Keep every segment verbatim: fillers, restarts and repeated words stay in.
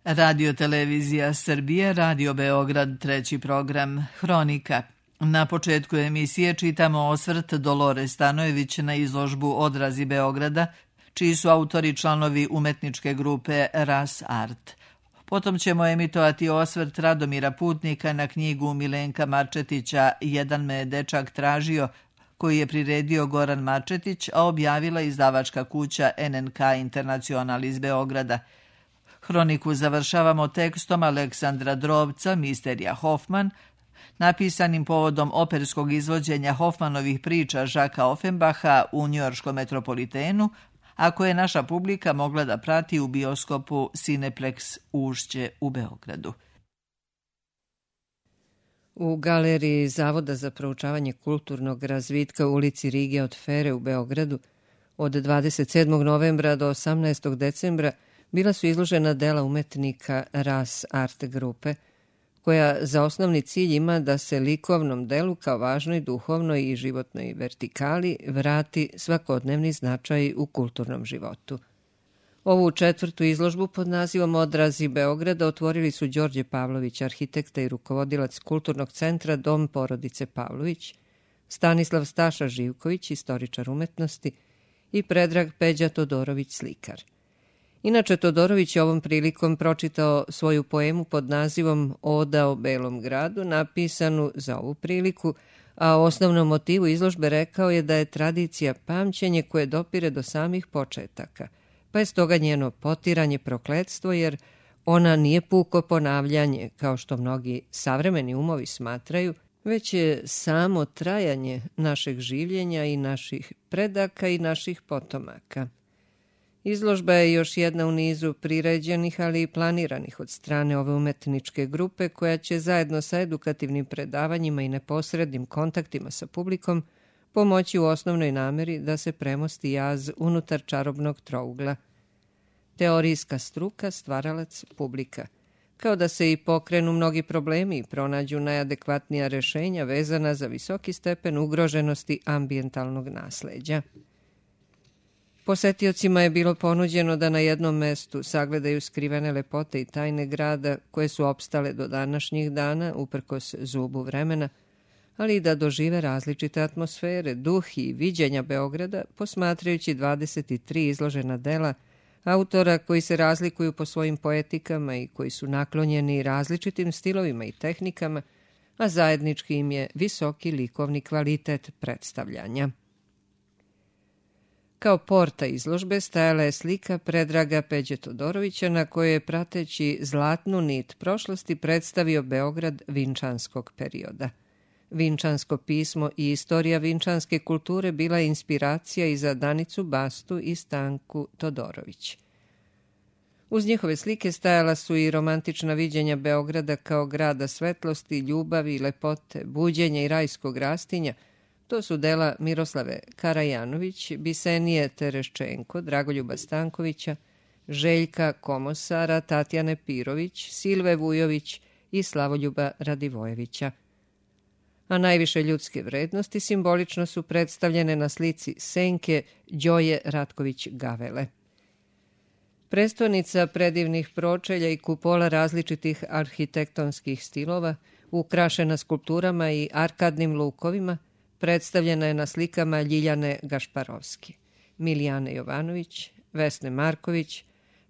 Radio Televizija Srbije, Radio Beograd, treći program, Hronika. Na početku emisije čitamo osvrt Dolore Stanojević na izložbu Odrazi Beograda, čiji su autori članovi umetničke grupe Ras Art. Potom ćemo emitovati osvrt Radomira Putnika na knjigu Milenka Marčetića Jedan me dečak tražio, koji je priredio Goran Marčetić, a objavila izdavačka kuća en en ka Internacional iz Beograda. Hroniku završavamo tekstom Aleksandra Drobca, Misterija Hoffman, napisanim povodom operskog izvođenja Hoffmanovih priča Žaka Offenbacha u njujorškom Metropolitenu, a koje je naša publika mogla da prati u bioskopu Cineplex Ušće u Beogradu. U galeriji Zavoda za proučavanje kulturnog razvitka u ulici Rige od Fere u Beogradu od dvadeset sedmog novembra do osamnaestog decembra bila su izložena dela umetnika Ras Art grupe, koja za osnovni cilj ima da se likovnom delu kao važnoj duhovnoj i životnoj vertikali vrati svakodnevni značaj u kulturnom životu. Ovu četvrtu izložbu pod nazivom Odrazi Beograda otvorili su Đorđe Pavlović, arhitekta i rukovodilac Kulturnog centra Dom porodice Pavlović, Stanislav Staša Živković, istoričar umetnosti, i Predrag Peđa Todorović, slikar. Inače, Todorović je ovom prilikom pročitao svoju poemu pod nazivom Oda o Belom gradu, napisanu za ovu priliku, a o osnovnom motivu izložbe rekao je da je tradicija pamćenje koje dopire do samih početaka, pa je stoga njeno potiranje prokletstvo, jer ona nije puko ponavljanje, kao što mnogi savremeni umovi smatraju, već je samo trajanje našeg življenja i naših predaka i naših potomaka. Izložba je još jedna u nizu priređenih, ali i planiranih od strane ove umetničke grupe, koja će zajedno sa edukativnim predavanjima i neposrednim kontaktima sa publikom pomoći u osnovnoj nameri da se premosti jaz unutar čarobnog trougla. Teorijska struka, stvaralac, publika. Kao da se i pokrenu mnogi problemi i pronađu najadekvatnija rešenja vezana za visoki stepen ugroženosti ambijentalnog nasleđa. Posetiocima je bilo ponuđeno da na jednom mestu sagledaju skrivene lepote i tajne grada koje su opstale do današnjih dana uprkos zubu vremena, ali i da dožive različite atmosfere, duh i viđenja Beograda posmatrajući dvadeset tri izložena dela autora koji se razlikuju po svojim poetikama i koji su naklonjeni različitim stilovima i tehnikama, a zajednički im je visoki likovni kvalitet predstavljanja. Kao porta izložbe stajala je slika Predraga Peđe Todorovića na kojoj je prateći zlatnu nit prošlosti predstavio Beograd vinčanskog perioda. Vinčansko pismo i istorija vinčanske kulture bila je inspiracija i za Danicu Bastu i Stanku Todorović. Uz njihove slike stajala su i romantična viđenja Beograda kao grada svetlosti, ljubavi, lepote, buđenja i rajskog rastinja. To su dela Miroslave Karajanović, Bisenije Tereščenko, Dragoljuba Stankovića, Željka Komosara, Tatjane Pirović, Silve Vujović i Slavoljuba Radivojevića. A najviše ljudske vrednosti simbolično su predstavljene na slici Senke Đoje Ratković-Gavele. Prestonica predivnih pročelja i kupola različitih arhitektonskih stilova, ukrašena skulpturama i arkadnim lukovima, predstavljena je na slikama Ljiljane Gašparovski, Milijane Jovanović, Vesne Marković,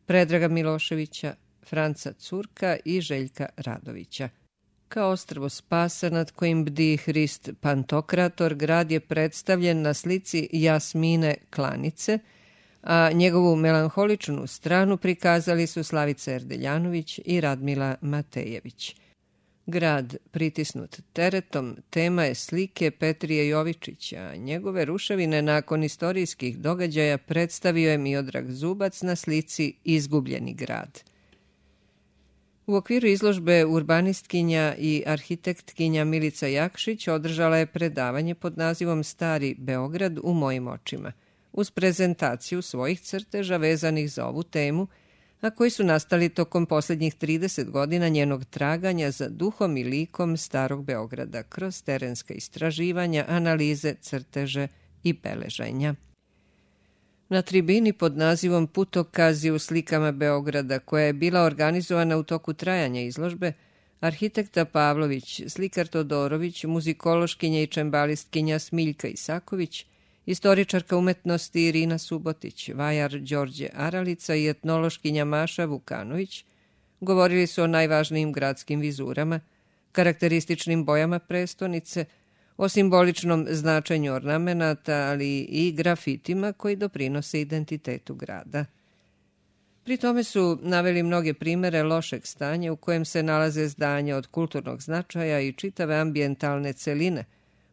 Predraga Miloševića, Franca Curka i Željka Radovića. Kao ostrvo spasa nad kojim bdi Hrist Pantokrator, grad je predstavljen na slici Jasmine Klanice, a njegovu melanholičnu stranu prikazali su Slavica Erdeljanović i Radmila Matejević. Grad, pritisnut teretom, tema je slike Petrije Jovičića, a njegove ruševine nakon istorijskih događaja predstavio je Miodrag Zubac na slici Izgubljeni grad. U okviru izložbe urbanistkinja i arhitektkinja Milica Jakšić održala je predavanje pod nazivom Stari Beograd u mojim očima, uz prezentaciju svojih crteža vezanih za ovu temu, a koji su nastali tokom posljednjih trideset godina njenog traganja za duhom i likom Starog Beograda kroz terenska istraživanja, analize, crteže i beleženja. Na tribini pod nazivom Putokazi u slikama Beograda, koja je bila organizovana u toku trajanja izložbe, arhitekta Pavlović, slikar Todorović, muzikološkinja i čembalistkinja Smiljka Isaković, istoričarka umetnosti Irina Subotić, vajar Đorđe Aralica i etnološkinja Maša Vukanović govorili su o najvažnijim gradskim vizurama, karakterističnim bojama prestonice, o simboličnom značenju ornamenata, ali i grafitima koji doprinose identitetu grada. Pri tome su naveli mnoge primere lošeg stanja u kojem se nalaze zdanja od kulturnog značaja i čitave ambijentalne celine,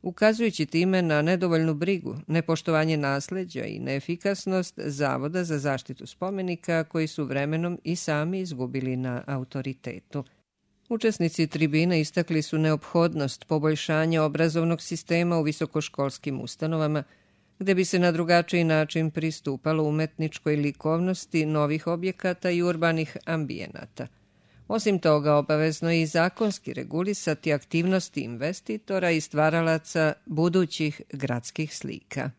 ukazujući time na nedovoljnu brigu, nepoštovanje nasleđa i neefikasnost Zavoda za zaštitu spomenika koji su vremenom i sami izgubili na autoritetu. Učesnici tribine istakli su neophodnost poboljšanja obrazovnog sistema u visokoškolskim ustanovama, gde bi se na drugačiji način pristupalo umetničkoj likovnosti novih objekata i urbanih ambijenata. Osim toga, obavezno je i zakonski regulisati aktivnosti investitora i stvaralaca budućih gradskih slika.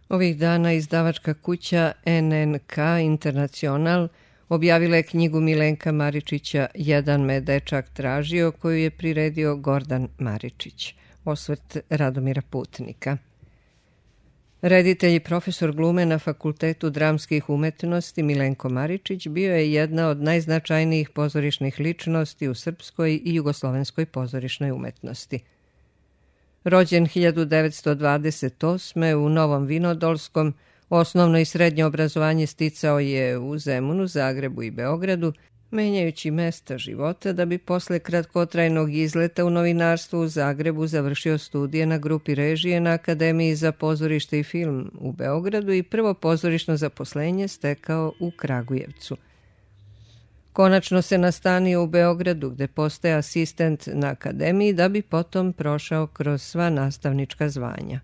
Ovih dana izdavačka kuća N N K Internacional objavila je knjigu Milenka Maričića Jedan me dečak tražio, koju je priredio Gordan Maričić. Osvrt Radomira Putnika. Reditelj i profesor glume na Fakultetu dramskih umetnosti Milenko Maričić bio je jedna od najznačajnijih pozorišnih ličnosti u srpskoj i jugoslovenskoj pozorišnoj umetnosti. Rođen hiljadu devetsto dvadeset osme u Novom Vinodolskom, osnovno i srednje obrazovanje sticao je u Zemunu, Zagrebu i Beogradu, menjajući mesta života da bi posle kratkotrajnog izleta u novinarstvu u Zagrebu završio studije na grupi režije na Akademiji za pozorište i film u Beogradu i prvo pozorišno zaposlenje stekao u Kragujevcu. Konačno se nastanio u Beogradu, gde postaje asistent na Akademiji da bi potom prošao kroz sva nastavnička zvanja.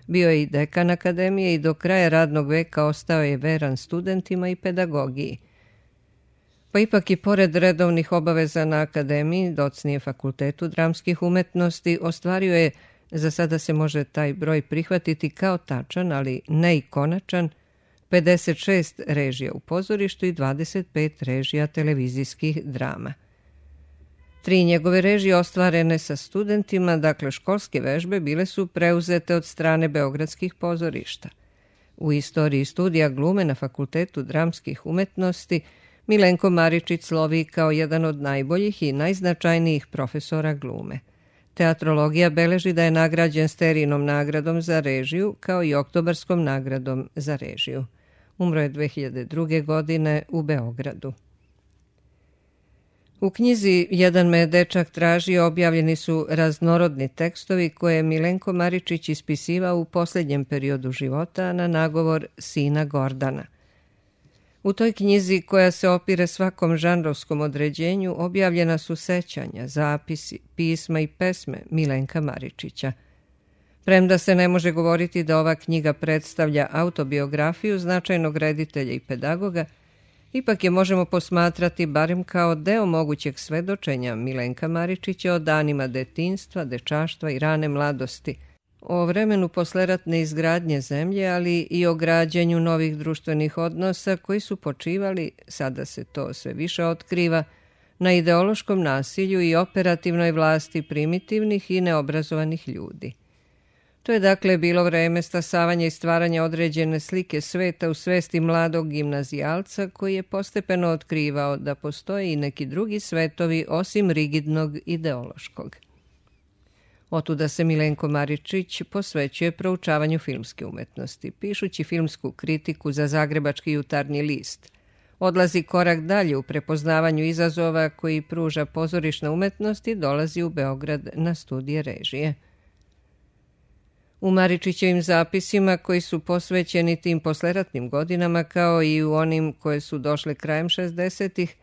Bio je i dekan Akademije i do kraja radnog veka ostao je veran studentima i pedagogiji. Pa ipak i pored redovnih obaveza na Akademiji, docnije Fakultetu dramskih umetnosti, ostvario je, za sada se može taj broj prihvatiti kao tačan, ali ne i konačan, pedeset šest režija u pozorištu i dvadeset pet režija televizijskih drama. Tri njegove režije ostvarene sa studentima, dakle školske vežbe, bile su preuzete od strane beogradskih pozorišta. U istoriji studija glume na Fakultetu dramskih umetnosti Milenko Maričić slovi kao jedan od najboljih i najznačajnijih profesora glume. Teatrologija beleži da je nagrađen Sterinom nagradom za režiju, kao i Oktobarskom nagradom za režiju. Umro je dve hiljade druge. godine u Beogradu. U knjizi Jedan me dečak tražio objavljeni su raznorodni tekstovi koje je Milenko Maričić ispisivao u posljednjem periodu života na nagovor sina Gordana. U toj knjizi, koja se opire svakom žanrovskom određenju, objavljena su sećanja, zapisi, pisma i pesme Milenka Maričića. Premda se ne može govoriti da ova knjiga predstavlja autobiografiju značajnog reditelja i pedagoga, ipak je možemo posmatrati barem kao deo mogućeg svedočenja Milenka Maričića o danima detinjstva, dečaštva i rane mladosti, o vremenu posleratne izgradnje zemlje, ali i o građenju novih društvenih odnosa koji su počivali, sada se to sve više otkriva, na ideološkom nasilju i operativnoj vlasti primitivnih i neobrazovanih ljudi. To je dakle bilo vreme stasavanja i stvaranja određene slike sveta u svesti mladog gimnazijalca koji je postepeno otkrivao da postoje i neki drugi svetovi osim rigidnog ideološkog. Otuda se Milenko Maričić posvećuje proučavanju filmske umetnosti, pišući filmsku kritiku za Zagrebački jutarnji list. Odlazi korak dalje u prepoznavanju izazova koji pruža pozorišna umetnost i dolazi u Beograd na studije režije. U Maričićevim zapisima, koji su posvećeni tim posleratnim godinama, kao i u onim koje su došle krajem šezdesetih,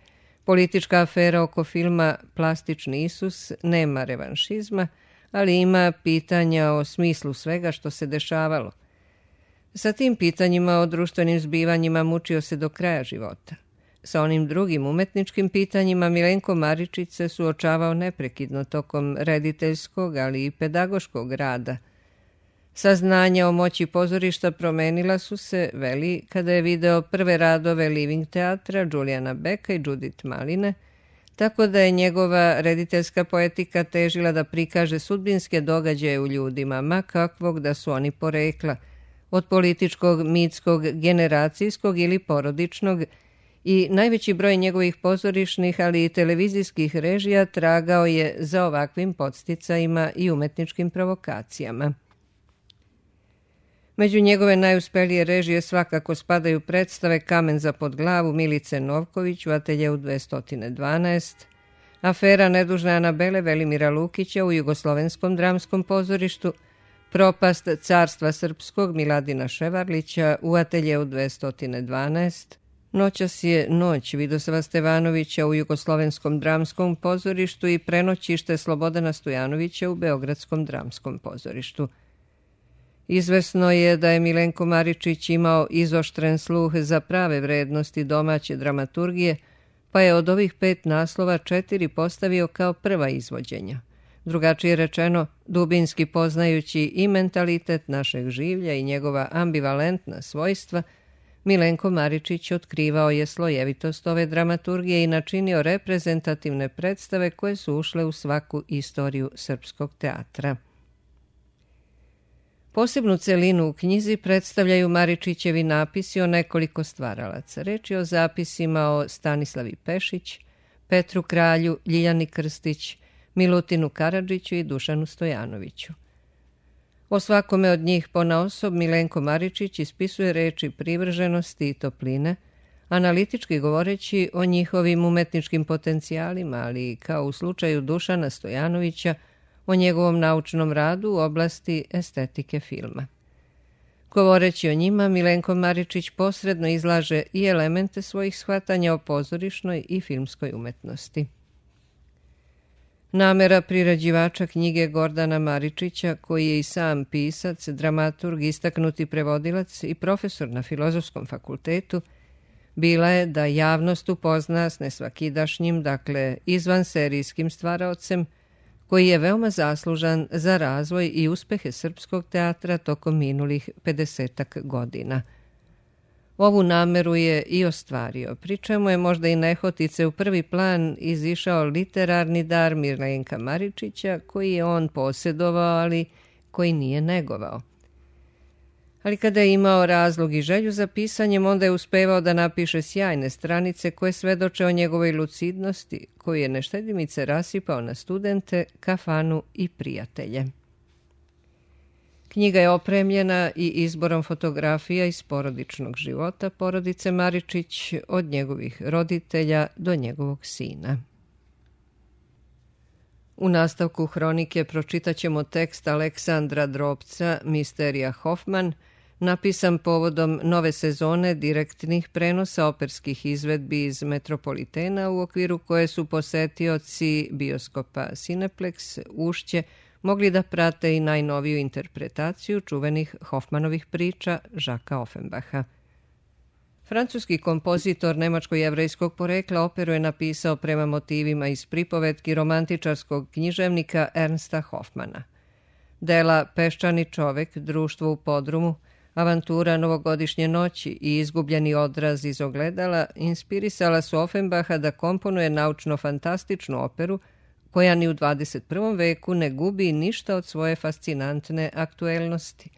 politička afera oko filma Plastični Isus nema revanšizma, ali ima pitanja o smislu svega što se dešavalo. Sa tim pitanjima o društvenim zbivanjima mučio se do kraja života. Sa onim drugim umetničkim pitanjima Milenko Maričić se suočavao neprekidno tokom rediteljskog, ali i pedagoškog rada. Saznanja o moći pozorišta promenila su se, veli, kada je video prve radove Living teatra Juliana Becka i Judith Maline, tako da je njegova rediteljska poetika težila da prikaže sudbinske događaje u ljudima, ma kakvog da su oni porekla, od političkog, mitskog, generacijskog ili porodičnog, i najveći broj njegovih pozorišnih, ali i televizijskih režija tragao je za ovakvim podsticajima i umetničkim provokacijama. Među njegove najuspelije režije svakako spadaju predstave Kamen za pod glavu Milice Novković u ateljeu dvesta dvanaest, Afera nedužne Anabele Velimira Lukića u Jugoslovenskom dramskom pozorištu, Propast carstva srpskog Miladina Ševarlića u ateljeu dvesta dvanaest, Noćas je noć Vidoslava Stevanovića u Jugoslovenskom dramskom pozorištu i Prenoćište Slobodana Stojanovića u Beogradskom dramskom pozorištu. Izvesno je da je Milenko Maričić imao izoštren sluh za prave vrednosti domaće dramaturgije, pa je od ovih pet naslova četiri postavio kao prva izvođenja. Drugačije rečeno, dubinski poznajući i mentalitet našeg življa i njegova ambivalentna svojstva, Milenko Maričić otkrivao je slojevitost ove dramaturgije i načinio reprezentativne predstave koje su ušle u svaku istoriju srpskog teatra. Posebnu celinu u knjizi predstavljaju Maričićevi napisi o nekoliko stvaralaca. Reč je o zapisima o Stanislavi Pešić, Petru Kralju, Ljiljani Krstić, Milutinu Karadžiću i Dušanu Stojanoviću. O svakome od njih ponaosob Milenko Maričić ispisuje reči privrženosti i topline, analitički govoreći o njihovim umetničkim potencijalima, ali kao u slučaju Dušana Stojanovića, o njegovom naučnom radu u oblasti estetike filma. Govoreći o njima, Milenko Maričić posredno izlaže i elemente svojih shvatanja o pozorišnoj i filmskoj umetnosti. Namera prirađivača knjige Gordana Maričića, koji je i sam pisac, dramaturg, istaknuti prevodilac i profesor na Filozofskom fakultetu, bila je da javnost upozna s nesvakidašnjim, dakle izvanserijskim stvaraocem, koji je veoma zaslužan za razvoj i uspehe srpskog teatra tokom minulih pedesetak godina. Ovu nameru je i ostvario, pri čemu je možda i nehotice u prvi plan izišao literarni dar Milenka Maričića, koji je on posjedovao, ali koji nije negovao. Ali kada je imao razlog i želju za pisanjem, onda je uspevao da napiše sjajne stranice koje svedoče o njegovoj lucidnosti, koju je neštedimice rasipao na studente, kafanu i prijatelje. Knjiga je opremljena i izborom fotografija iz porodičnog života porodice Maričić, od njegovih roditelja do njegovog sina. U nastavku hronike pročitat ćemo tekst Aleksandra Drobca, Misterija Hoffman, napisan povodom nove sezone direktnih prenosa operskih izvedbi iz Metropolitena, u okviru koje su posetioci bioskopa Cineplex Ušće mogli da prate i najnoviju interpretaciju čuvenih Hoffmanovih priča Žaka Offenbacha. Francuski kompozitor nemačko-jevrejskog porekla operu je napisao prema motivima iz pripovetki romantičarskog književnika Ernsta Hoffmana. Dela Peščani čovek, Društvo u podrumu, Avantura novogodišnje noći i Izgubljeni odraz iz ogledala inspirisala su Offenbacha da komponuje naučno-fantastičnu operu koja ni u dvadeset prvom veku ne gubi ništa od svoje fascinantne aktuelnosti.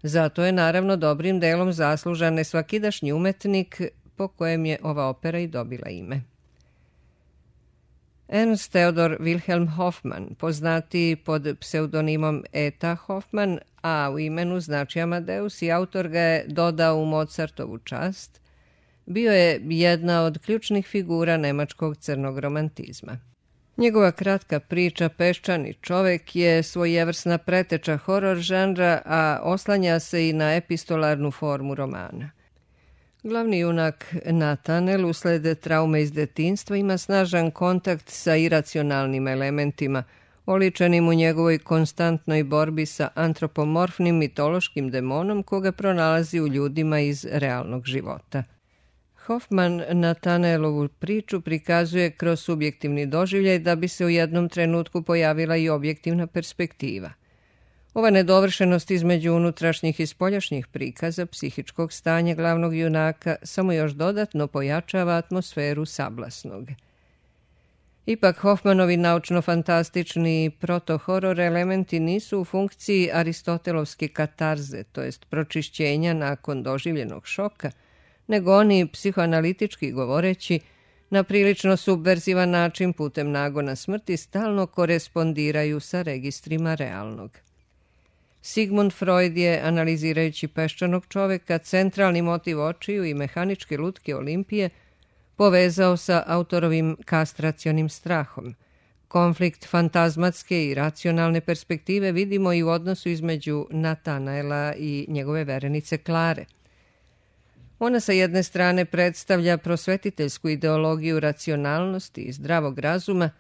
Zato je naravno dobrim delom zaslužan nesvakidašnji umetnik po kojem je ova opera i dobila ime. Ernst Theodor Wilhelm Hoffmann, poznati pod pseudonimom Eta Hoffmann, a u imenu znači Amadeus i autor ga je dodao u Mozartovu čast, bio je jedna od ključnih figura nemačkog crnog romantizma. Njegova kratka priča Peščani čovek je svojevrsna preteča horor žanra, a oslanja se i na epistolarnu formu romana. Glavni junak Natanel usled traume iz detinjstva ima snažan kontakt sa iracionalnim elementima, oličenim u njegovoj konstantnoj borbi sa antropomorfnim mitološkim demonom koga pronalazi u ljudima iz realnog života. Hoffman Natanelovu priču prikazuje kroz subjektivni doživljaj da bi se u jednom trenutku pojavila i objektivna perspektiva. Ova nedovršenost između unutrašnjih i spoljašnjih prikaza psihičkog stanja glavnog junaka samo još dodatno pojačava atmosferu sablasnog. Ipak Hoffmanovi naučno-fantastični proto-horor elementi nisu u funkciji aristotelovske katarze, to jest pročišćenja nakon doživljenog šoka, nego oni, psihoanalitički govoreći, na prilično subverzivan način putem nagona smrti stalno korespondiraju sa registrima realnog. Sigmund Freud je, analizirajući peščanog čoveka, centralni motiv očiju i mehaničke lutke Olimpije povezao sa autorovim kastracionim strahom. Konflikt fantazmatske i racionalne perspektive vidimo i u odnosu između Natanaela i njegove verenice Klare. Ona sa jedne strane predstavlja prosvetiteljsku ideologiju racionalnosti i zdravog razuma,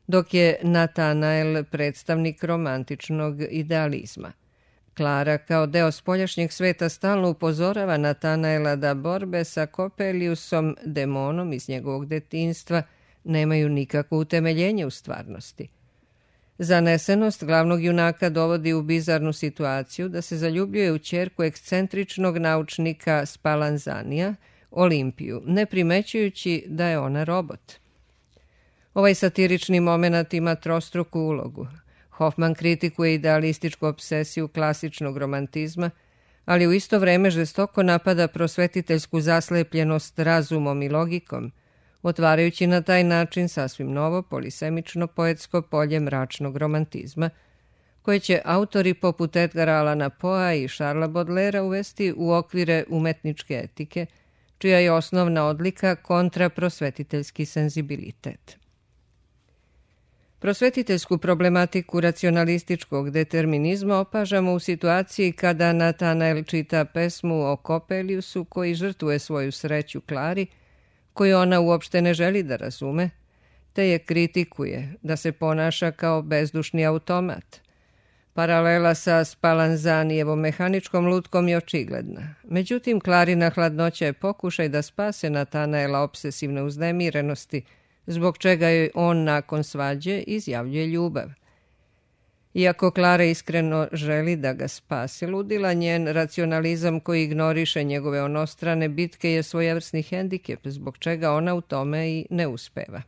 dok je Natanael predstavnik romantičnog idealizma. Klara kao deo spoljašnjeg sveta stalno upozorava Natanaela da borbe sa Coppeliusom, demonom iz njegovog detinjstva, nemaju nikakvo utemeljenje u stvarnosti. Zanesenost glavnog junaka dovodi u bizarnu situaciju da se zaljubljuje u ćerku ekscentričnog naučnika Spallanzanija, Olimpiju, ne primećujući da je ona robot. Ovaj satirični moment ima trostruku ulogu. Hoffman kritikuje idealističku obsesiju klasičnog romantizma, ali u isto vreme žestoko napada prosvetiteljsku zaslepljenost razumom i logikom, otvarajući na taj način sasvim novo polisemično poetsko polje mračnog romantizma, koje će autori poput Edgara Allana Poea i Charlesa Baudelairea uvesti u okvire umetničke etike, čija je osnovna odlika kontraprosvetiteljski senzibilitet. Prosvetiteljsku problematiku racionalističkog determinizma opažamo u situaciji kada Natanael čita pesmu o Coppeliusu koji žrtvuje svoju sreću Klari, koju ona uopšte ne želi da razume, te je kritikuje da se ponaša kao bezdušni automat. Paralela sa Spallanzanijevom mehaničkom lutkom je očigledna. Međutim, Klarina hladnoća je pokušaj da spase Natanaela obsesivne uznemirenosti, zbog čega joj on nakon svađe izjavljuje ljubav. Iako Klara iskreno želi da ga spase ludila, njen racionalizam koji ignoriše njegove onostrane bitke je svojevrsni hendikep, zbog čega ona u tome i ne uspeva.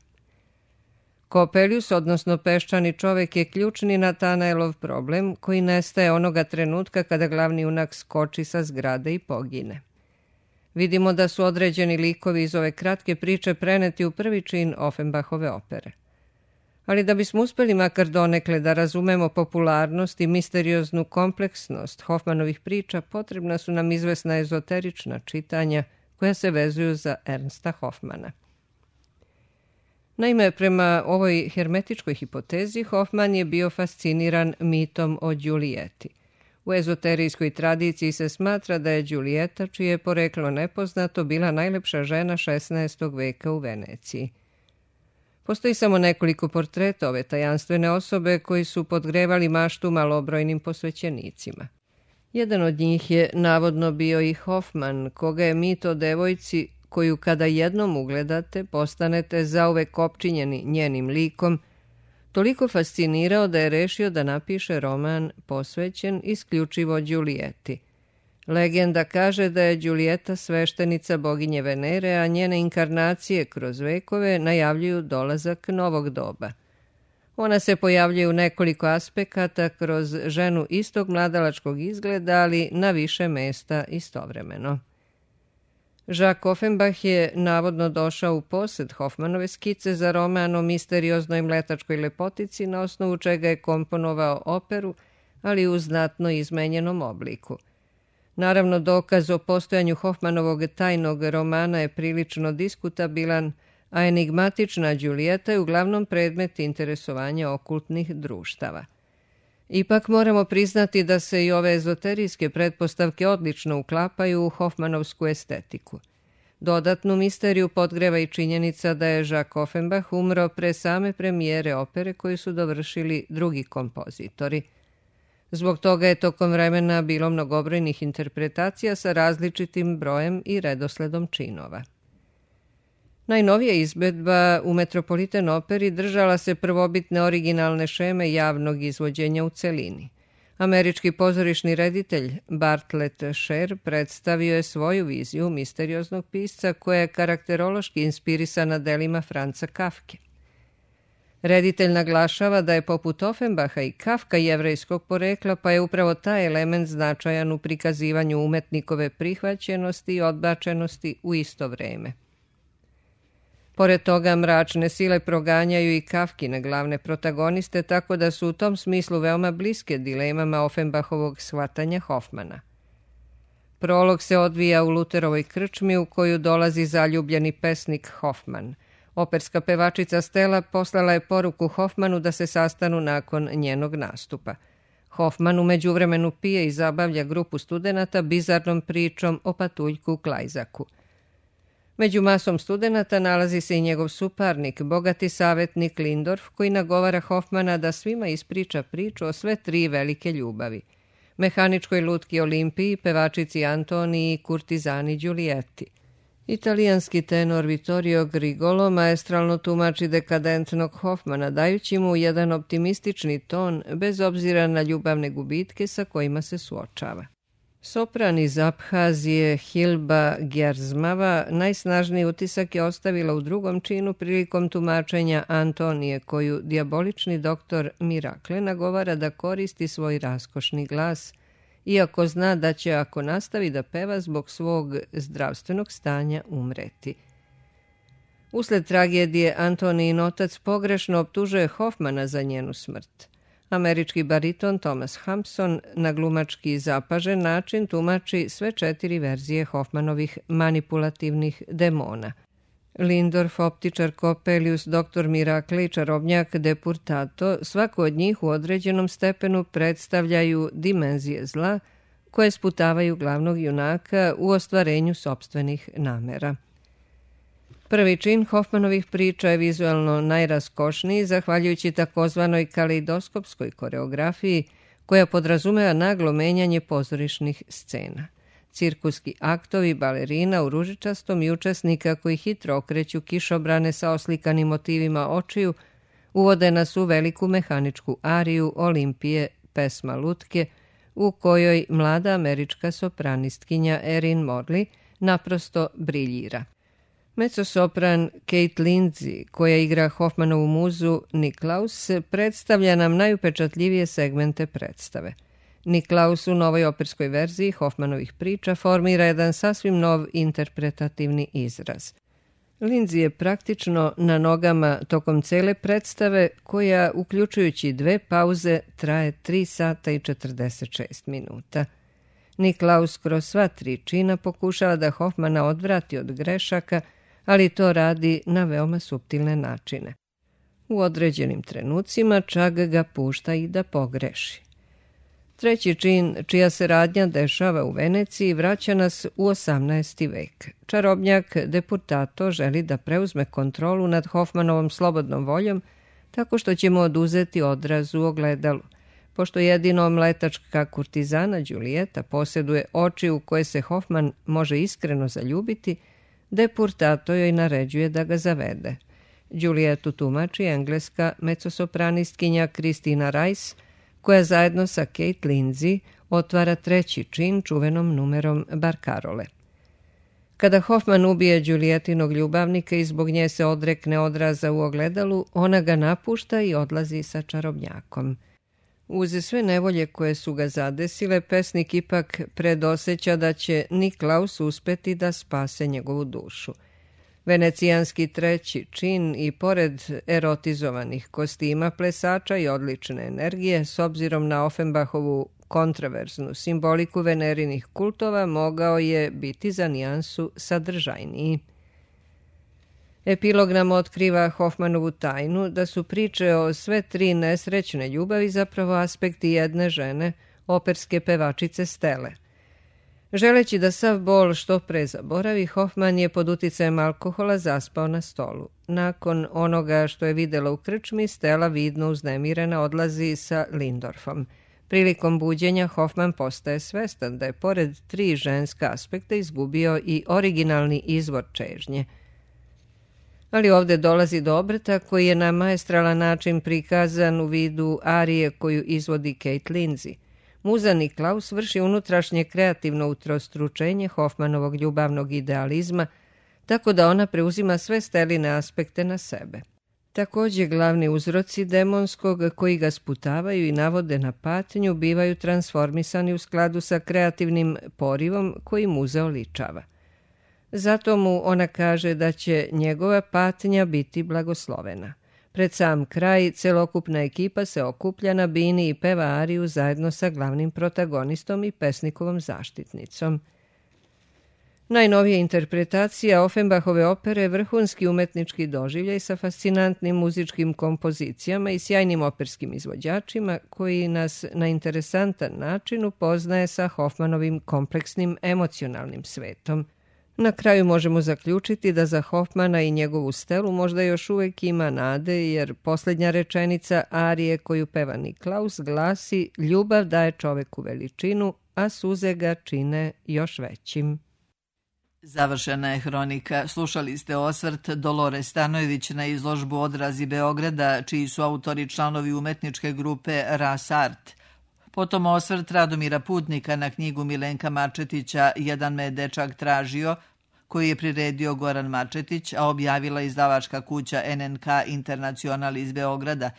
Coppelius, odnosno peščani čovek, je ključni Natanaelov problem koji nestaje onoga trenutka kada glavni junak skoči sa zgrade i pogine. Vidimo da su određeni likovi iz ove kratke priče preneti u prvi čin Offenbachove opere. Ali da bismo uspeli makar donekle da razumemo popularnost i misterioznu kompleksnost Hoffmanovih priča, potrebna su nam izvesna ezoterična čitanja koja se vezuju za Ernsta Hoffmana. Naime, prema ovoj hermetičkoj hipotezi, Hoffman je bio fasciniran mitom o Đulijeti. U ezoterijskoj tradiciji se smatra da je Đulijeta, čije je poreklo nepoznato, bila najlepša žena šesnaestog veka u Veneciji. Postoji samo nekoliko portreta ove tajanstvene osobe koji su podgrevali maštu malobrojnim posvećenicima. Jedan od njih je navodno bio i Hoffman, koga je mit o devojci koju kada jednom ugledate postanete zauvek opčinjeni njenim likom, toliko fascinirao da je rešio da napiše roman posvećen isključivo Đulijeti. Legenda kaže da je Đulijeta sveštenica boginje Venere, a njene inkarnacije kroz vekove najavljuju dolazak novog doba. Ona se pojavljuje u nekoliko aspekata kroz ženu istog mladalačkog izgleda, ali na više mesta istovremeno. Jacques Offenbach je navodno došao u posed Hoffmanove skice za roman o misterioznoj mletačkoj lepotici, na osnovu čega je komponovao operu, ali u znatno izmenjenom obliku. Naravno, dokaz o postojanju Hoffmanovog tajnog romana je prilično diskutabilan, a enigmatična Đulijeta je uglavnom predmet interesovanja okultnih društava. Ipak moramo priznati da se i ove ezoterijske pretpostavke odlično uklapaju u Hoffmanovsku estetiku. Dodatnu misteriju podgreva i činjenica da je Jacques Offenbach umro pre same premijere opere koju su dovršili drugi kompozitori. Zbog toga je tokom vremena bilo mnogobrojnih interpretacija sa različitim brojem i redosledom činova. Najnovija izvedba u Metropolitan operi držala se prvobitne originalne šeme javnog izvođenja u celini, Američki pozorišni reditelj Bartlett Sher predstavio je svoju viziju misterioznog pisca koja je karakterološki inspirisana delima Franza Kafke. Reditelj naglašava da je poput Offenbacha i Kafka jevrejskog porekla, pa je upravo taj element značajan u prikazivanju umetnikove prihvaćenosti i odbačenosti u isto vreme. Pored toga, mračne sile proganjaju i Kafkine glavne protagoniste, tako da su u tom smislu veoma bliske dilemama Offenbachovog shvatanja Hoffmana. Prolog se odvija u Luterovoj krčmi u koju dolazi zaljubljeni pesnik Hoffman. Operska pevačica Stella poslala je poruku Hoffmanu da se sastanu nakon njenog nastupa. Hoffman u međuvremenu pije i zabavlja grupu studenata bizarnom pričom o patuljku Klajzaku. Među masom studenata nalazi se i njegov suparnik, bogati savjetnik Lindorf, koji nagovara Hoffmana da svima ispriča priču o sve tri velike ljubavi. Mehaničkoj lutki Olimpiji, pevačici Antoniji i kurtizani Giulijetti. Italijanski tenor Vittorio Grigolo maestralno tumači dekadentnog Hoffmana, dajući mu jedan optimistični ton bez obzira na ljubavne gubitke sa kojima se suočava. Sopran iz Abhazije Hilba Gerzmava najsnažniji utisak je ostavila u drugom činu prilikom tumačenja Antonije, koju dijabolični doktor Mirakle nagovara da koristi svoj raskošni glas, iako zna da će, ako nastavi da peva, zbog svog zdravstvenog stanja umreti. Usled tragedije Antonijin otac pogrešno optužuje Hoffmana za njenu smrt. Američki bariton Thomas Hampson na glumački zapažen način tumači sve četiri verzije Hoffmanovih manipulativnih demona. Lindorf, optičar Coppelius, doktor Mirakle i čarobnjak Depurtato, svako od njih u određenom stepenu predstavljaju dimenzije zla koje sputavaju glavnog junaka u ostvarenju sopstvenih namera. Prvi čin Hoffmanovih priča je vizualno najraskošniji, zahvaljujući takozvanoj kaleidoskopskoj koreografiji, koja podrazumeva naglo menjanje pozorišnih scena. Cirkuski aktovi balerina u ružičastom i učesnika koji hitro okreću kišobrane sa oslikanim motivima očiju uvode nas u veliku mehaničku ariju Olimpije, pesma lutke, u kojoj mlada američka sopranistkinja Erin Morley naprosto briljira. Mezzosopran Kate Lindsay, koja igra Hoffmanovu muzu Niklaus, predstavlja nam najupečatljivije segmente predstave. Niklaus u novoj operskoj verziji Hoffmanovih priča formira jedan sasvim nov interpretativni izraz. Lindsay je praktično na nogama tokom cele predstave, koja, uključujući dve pauze, traje tri sata i četrdeset šest minuta. Niklaus kroz sva tri čina pokušava da Hoffmana odvrati od grešaka, ali to radi na veoma suptilne načine. U određenim trenucima čak ga pušta i da pogreši. Treći čin, čija se radnja dešava u Veneciji, vraća nas u osamnaesti vek. Čarobnjak Depurtato želi da preuzme kontrolu nad Hoffmanovom slobodnom voljom tako što će mu oduzeti odraz u ogledalu. Pošto jedino mletačka kurtizana Giulietta posjeduje oči u koje se Hoffman može iskreno zaljubiti, Depurtato joj naređuje da ga zavede. Giuliettu tumači engleska mezzosopranistkinja Christina Rice, koja zajedno sa Kate Lindsay otvara treći čin čuvenom numerom Barkarole. Kada Hoffman ubije Giuliettinog ljubavnika i zbog nje se odrekne odraza u ogledalu, ona ga napušta i odlazi sa čarobnjakom. Uz sve nevolje koje su ga zadesile, pesnik ipak predoseća da će Niklaus uspeti da spase njegovu dušu. Venecijanski treći čin i pored erotizovanih kostima plesača i odlične energije, s obzirom na Offenbachovu kontraverznu simboliku venerinih kultova, mogao je biti za nijansu sadržajniji. Epilog nam otkriva Hoffmanovu tajnu da su priče o sve tri nesrećne ljubavi zapravo aspekti jedne žene, operske pevačice Stelle. Želeći da sav bol što pre zaboravi, Hoffman je pod uticajem alkohola zaspao na stolu. Nakon onoga što je videla u krčmi, Stella vidno uznemirena odlazi sa Lindorfom. Prilikom buđenja Hoffman postaje svestan da je pored tri ženska aspekta izgubio i originalni izvor čežnje. Ali ovde dolazi do obrata koji je na maestralan način prikazan u vidu arije koju izvodi Kate Lindsay. Muza Niklaus vrši unutrašnje kreativno utrostručenje Hoffmanovog ljubavnog idealizma, tako da ona preuzima sve steline aspekte na sebe. Također glavni uzroci demonskog koji ga sputavaju i navode na patnju bivaju transformisani u skladu sa kreativnim porivom koji muza oličava. Zato mu ona kaže da će njegova patnja biti blagoslovena. Pred sam kraj celokupna ekipa se okuplja na bini i peva ariju zajedno sa glavnim protagonistom i pesnikovom zaštitnicom. Najnovija interpretacija Offenbachove opere je vrhunski umetnički doživljaj sa fascinantnim muzičkim kompozicijama i sjajnim operskim izvođačima koji nas na interesantan način upoznaje sa Hoffmanovim kompleksnim emocionalnim svetom. Na kraju možemo zaključiti da za Hoffmana i njegovu stelu možda još uvijek ima nade, jer posljednja rečenica arije koju peva Niklaus glasi: ljubav daje čoveku veličinu, a suze ga čine još većim. Završena je hronika. Slušali ste osvrt Dolore Stanojević na izložbu Odrazi Beograda, čiji su autori članovi umetničke grupe Ras Art. Potom osvrt Radomira Putnika na knjigu Milenka Mačetića Jedan me dečak tražio, koji je priredio Goran Mačetić, a objavila izdavačka kuća en en ka Internacional iz Beograda.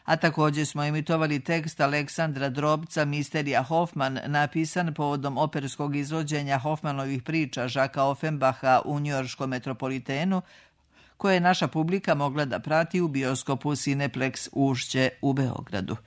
A također smo emitovali tekst Aleksandra Drobca Misterija Hoffman, napisan povodom operskog izvođenja Hoffmanovih priča Žaka Offenbacha u njujorškom Metropolitenu, koje je naša publika mogla da prati u bioskopu Cineplex Ušće u Beogradu.